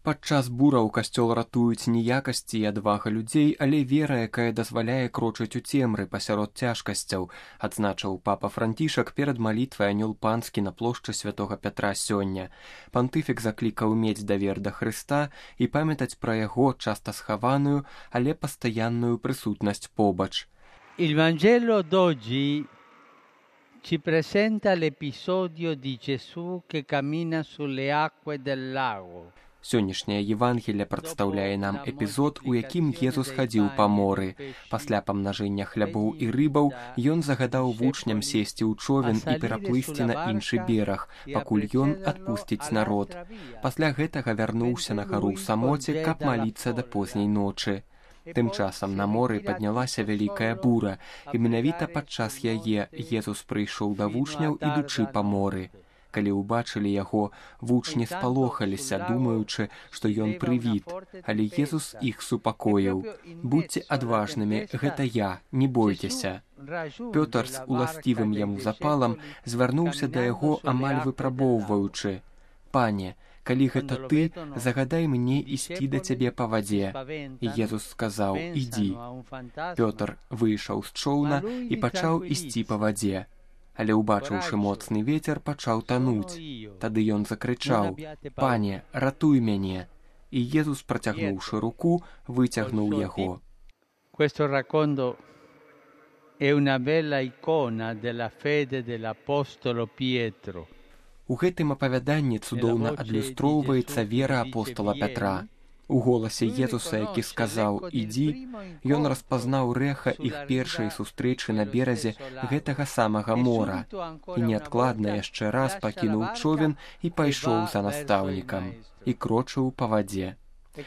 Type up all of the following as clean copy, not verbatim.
Падчас бураў касцёл ратуюць не якасці і адвага людзей, але вера, якая дазваляе крочыць у цемры пасярод цяжкасцяў, адзначыў папа Францішак перад малітвай анёл панскі на плошчы святога Пятра сёння. Пантыфік заклікаў мець давер да Хрыста і памятаць пра яго часта схаваную, але пастаянную прысутнасць побач. Il Vangelo d'oggi ci presenta l'episodio di Gesù che cammina sulle acque del lago. Сённяшняе Евангелие прадстаўляе нам эпізод, у якім Езус хадзіў па моры. Пасля памнажэння хлябоў і рыбаў ён загадаў вучням сесці ў човен і пераплысці на іншы бераг, пакуль ён адпусціць народ. Пасля гэтага вярнуўся на гару ў самоце, каб маліцца да позняй ночы. Тым часам на моры паднялася вялікая бура, і менавіта падчас яе Езус прыйшоў да вучняў, ідучы па моры. Калі ўбачылі яго, вучні спалохаліся, думаючы, што ён прывід, але Езус іх супакоіў. Будзьце адважнымі, гэта я, не бойцеся. Пётр з уласцівым яму запалам звярнуўся да яго, амаль выпрабоўваючы: «Пане, калі гэта ты, загадай мне ісці да цябе па вадзе». І Езус сказаў: «Ідзі». Пётр выйшаў з чоўна і пачаў ісці па вадзе. Але, убачыўшы моцны вецер, пачаў тануць. Тады ён закрычаў: «Пане, ратуй мяне!» І Езус, працягнуўшы руку, выцягнуў яго. Questo racconto è una bella icona della fede dell'apostolo Pietro. У гэтым апавяданні цудоўна адлюстроўваецца вера апостола Пятра. У голасе Езуса, які сказаў «Ідзі», ён распазнаў рэха іх першай сустрэчы на беразе гэтага самага мора і неадкладна яшчэ раз пакінуў човен і пайшоў за настаўнікам і крочыў па вадзе.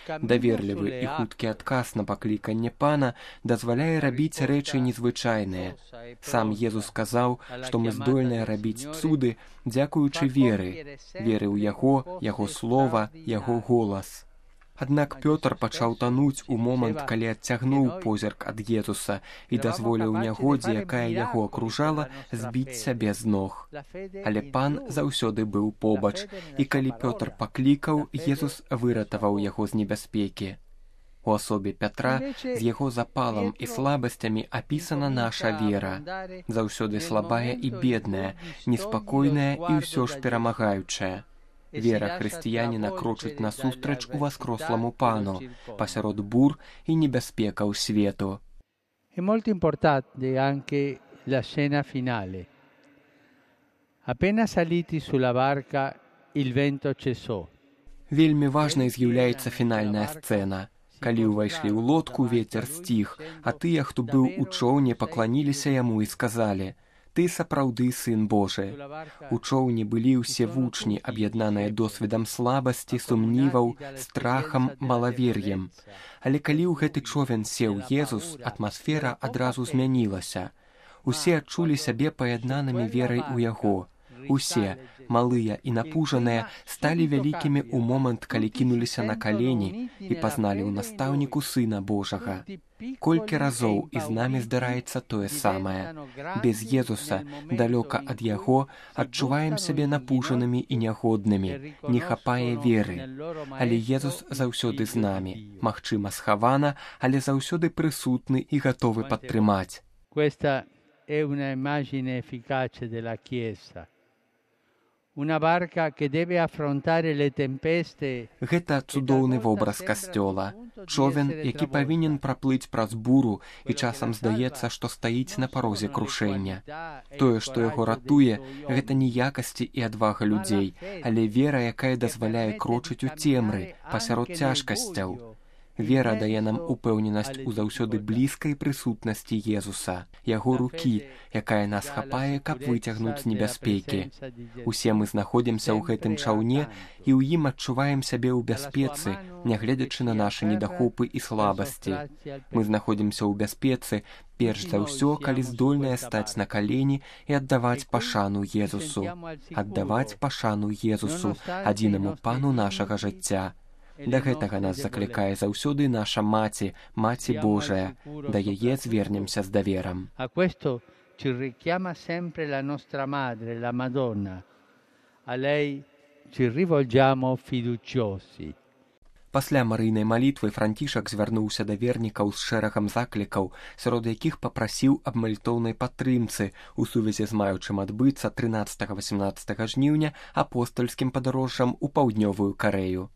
Даверлівы і хуткі адказ на пакліканне Пана дазваляе рабіць рэчы незвычайныя. Сам Езус сказаў, што мы здольныя рабіць цуды, дзякуючы веры ў яго, яго слова, яго голас. Аднак Пётр пачаў тануць у момант, калі адцягнуў позірк ад Езуса і дазволіў нягодзе, якая яго акружала, збіць сябе з ног. Але Пан заўсёды быў побач, і калі Пётр паклікаў, Езус выратаваў яго з небяспекі. У асобе Пятра з яго запалам і слабасцямі апісана наша вера, заўсёды слабая і бедная, неспакойная і ўсё ж перамагаючая. Вера хрысціяніна крочыць насустрач уваскросламу Пану пасярод бур і небяспекаў свету. È molto importante anche la scena finale. Appena saliti sulla barca, il vento cessò. Вельмі важнай з'яўляецца фінальная сцэна. Калі ўвайшлі ў лодку, вецер сціх, а тыя, хто быў у чоўне, пакланіліся яму і сказалі: «Ты сапраўды сын Божы». У чоўні былі ўсе вучні, аб'яднаныя досведам слабасці, сумніваў, страхам, малавер'ем. Але калі ў гэты човен сеў Езус, атмасфера адразу змянілася. Усе адчулі сябе паяднанымі верай у яго. Усе, малыя і напужаныя, сталі вялікімі ў момант, калі кінуліся на калені і пазналі ў настаўніку Сына Божага. Колькі разоў і з намі здараецца тое самае. Без Езуса, далёка ад яго, адчуваем сябе напужанымі і нягоднымі, не хапае веры. Але Езус заўсёды з намі, магчыма схавана, але заўсёды прысутны і гатовы падтрымаць. Questa è una immagine efficace della Chiesa. Una barca che deve affrontare le tempeste. Гэта цудоўны вобраз касцёла. Човен, які павінен праплыць праз буру і часам здаецца, што стаіць на парозе крушэння. Тое, што яго ратуе, гэта не якасці і адвага людзей, але вера, якая дазваляе крочыць у цемры пасярод цяжкасцяў. Вера дае нам упэўненасць у заўсёды блізкай прысутнасці Езуса, яго рукі, якая нас хапае, каб выцягнуць з небяспекі. Усе мы знаходзімся ў гэтым чаўне і ў ім адчуваем сябе ў бяспецы, нягледзячы на нашы недахопы і слабасці. Мы знаходзімся ў бяспецы, перш за ўсё, калі здольныя стаць на калені і аддаваць пашану Езусу. Аддаваць пашану Езусу, адзінаму Пану нашага жыцця. Да гэтага нас заклікае заўсёды наша Маці, Маці Божая. Да яе звернемся з даверам. A questo ci richiama sempre la nostra madre, la Madonna. A lei ci rivolgiamo fiduciosi. Пасля марыйнай малітвы Францішак звярнуўся да вернікаў з шэрагам заклікаў, сярод якіх папрасіў аб малітоўнай падтрымцы у сувязі з маючым адбыцца 13-18 жніўня апостальскім падарожжам у паўднёвую Карэю.